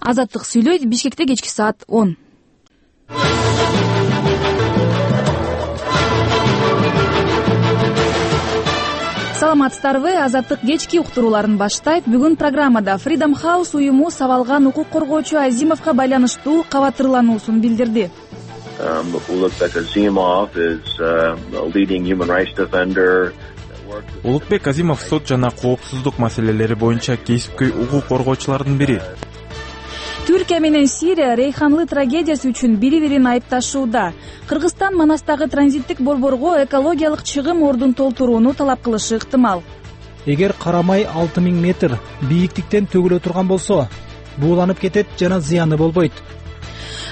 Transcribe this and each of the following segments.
Азаттык сүйлөйт. Бишкекте кечки саат 10. Саламатсыздарбы? Азаттык кечки уктурууларын баштайт. Бүгүн программада Freedom House уюму сабалган укук коргоочу Азимовго байланыштуу кабаттырлануусун билдирди. Ulukbek Azimov is a leading human rights defender. Улукбек Азимов сот жана коопсуздук маселелери боюнча кесипкөй укук коргоочулардын бири. Түркия менен Сирия Рейханлы трагедиясы үчүн бири-бирин айыпташууда. Кыргызстан Манастагы транзиттик борборго экологиялык чыгым ордун толтурууну талап кылышы ыктымал. Эгер карамай 6000 метр бийиктиктен төгүлө турган болсо, бууланып кетет жана зыяны болбойт.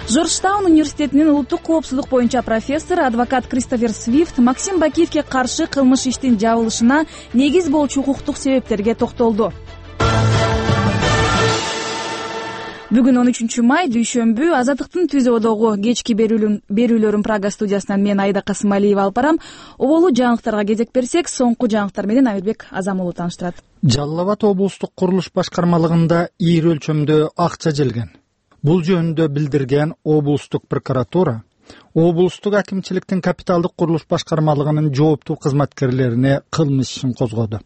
Жоржтаун университетинин улуттук коопсуздук боюнча профессор, адвокат Кристофер Свифт Максим Бакиевге каршы кылмыш иштин жабылышына негиз болчу укуктук себептерге токтолду. Бүгүн 13 май дүйшөмбү. Азаттыктын түзөөдөгү кечки берүүлөрүн Прага студиясынан мен Айда Касымалиева алып барам. Оболу жаңылыктарга кезек берсек, соңку жаңылыктар менен Амирбек Азам уулу тааныштырат. Жалал Абад облустук курулуш башкармалыгында ийри өлчөмдө акча желген. Бул жөнүндө билдирген облустук прокуратура облустук акимчиликтин капиталдык курулуш башкармалыгынын жооптуу кызматкерлерине кылмыш ишин козгоду.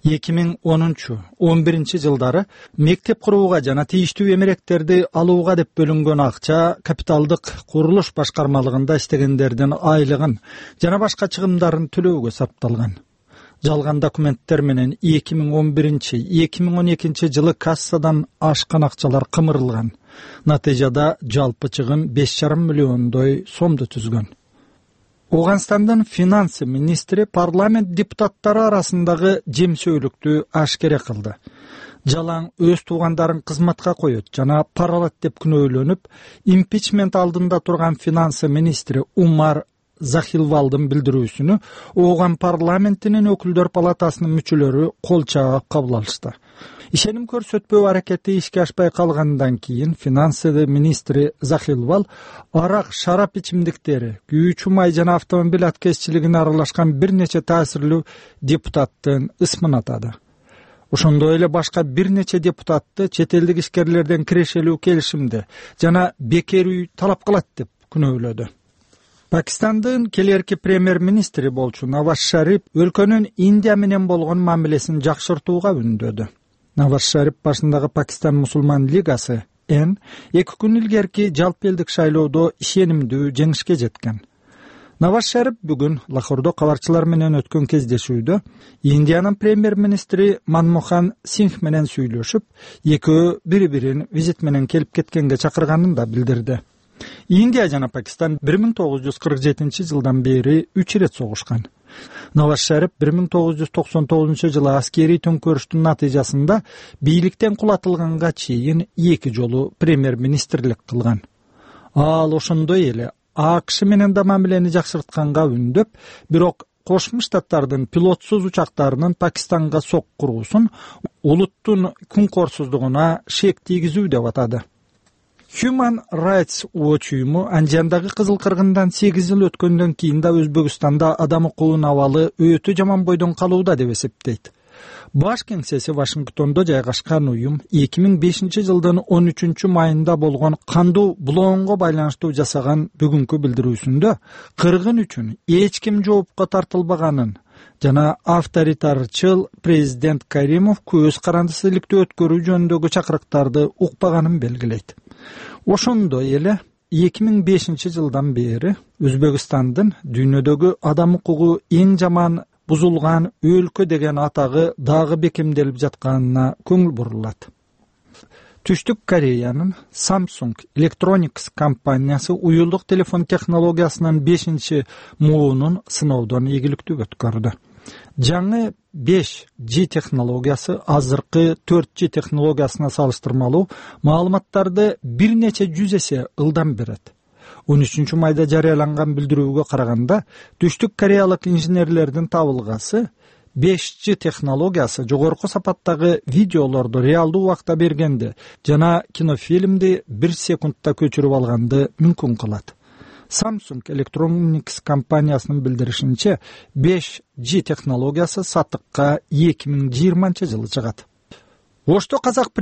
2010-11 жылдары мектеп курууга жана тийиштүү эмеректерди алууга деп бөлүнгөн акча капиталдык курулуш башкармалыгында иштегендердин айлыгын жана башка чыгымдарын төлөөгө сарпталган. Жалган документтер менен 2011-2012 жылы кассадан ашкан акчалар кымырылган. Натыйжада жалпы чыгым 5,5 миллиондой сомду түзгөн. Оганстандын финансы министри парламент депутаттары арасындагы жемсөөлүктү ашкере кылды. Жалаң өз туугандарын кызматка коет жана паралат деп күнөөлөнүп, импичмент алдында турган финансы министри Умар Захилвалдын билдирүүсүнү Оган парламентинин өкүлдөр палатасынын мүчөлөрү кол чаап кабыл алышты. Ишеним көрсөтпөө аракети ишке ашпай калгандан кийин финансы министри Захилвал арак, шарап ичимдиктери, күйүүчү май жана автомобиль аткезчилигине аралашкан бир нече таасирлүү депутаттын ысмын атады. Ошондой эле башка бир нече депутатты чет элдик ишкерлерден кирешелүү келишимди жана бекер үй талап кылат деп күнөөлөдү. Пакистандын келерки премьер-министри болчу Наваз Шариф өлкөнүн Индия менен болгон мамилесин жакшыртууга үндөдү. Наваз Шариф башындагы Пакистан мусулман лигасы Н 2 күн илгерки жалпы элдик шайлоодо ишенимдүү жеңишке жеткен. Наваз Шариф бүгүн Лахордо кабарчылар менен өткөн кездешүүдө Индиянын премьер-министри Манмохан Сингх менен сүйлөшүп, экөө бири-бирин визит менен келип кеткенге чакырганын да билдирди. Индия жана Пакистан 1947 жылдан бери 3 ирет согушкан. Наваз Шариф 1999 жылы аскерий төңкөрүштүн натыйжасында бийликтен кулатылганга чейин 2 жолу премьер-министрлик кылган. Ал ошондой эле АКШ менен да мамилени жакшыртканга үндөп, бирок Кошмо Штаттардын пилотсуз учактарынын Пакистанга сок куруусун улуттун күнкорсуздугуна шек тийгизүү деп атады. Human Rights Watch уюму Анжандагы кызыл кыргындан 8 жыл өткөндөн кийин да Өзбекстанда адам укугунун абалы өтө жаман бойдон калууда деп эсептейт. Баш кеңсеси Вашингтондо жайгашкан уюм 2005 жылдын 13 майында болгон кандуу булоонго байланыштуу жасаган бүгүнкү билдирүүсүндө кыргын үчүн эч ким жоопко тартылбаганын жана авторитарчыл президент Каримов көз карандысыздыкты өткөрүү жөнүндөгү чакырыктарды укпаганын белгилейт. Ошондой эле 2005 жылдан бери Өзбекстандын дүйнөдөгү адам укугу эң жаман бузулган өлкө деген атагы дагы бекемделип жатканына көңүл бурулат. Түштүк Кореянын Samsung Electronics компаниясы уюлдук телефон технологиясынын 5 муунун сыноодон ийгиликтүү өткөрдү. Жаңы 5G технологиясы азыркы 4G технологиясына салыштырмалуу маалыматтарды бир нече жүз эсе ылдам берет. 13 майда жарыяланган билдирүүгө караганда, Түштүк Кореялык инженерлердин табылгасы 5G технологиясы жогорку сапаттагы видеолорду реалдуу убакта бергенди жана кинофильмди 1 секундта көчүрүп алганды мүмкүн кылат. Samsung Electronics компаниясынын билдиришинче 5G технологиясы сатыкка 2020 жылы чыгат. Ошто казак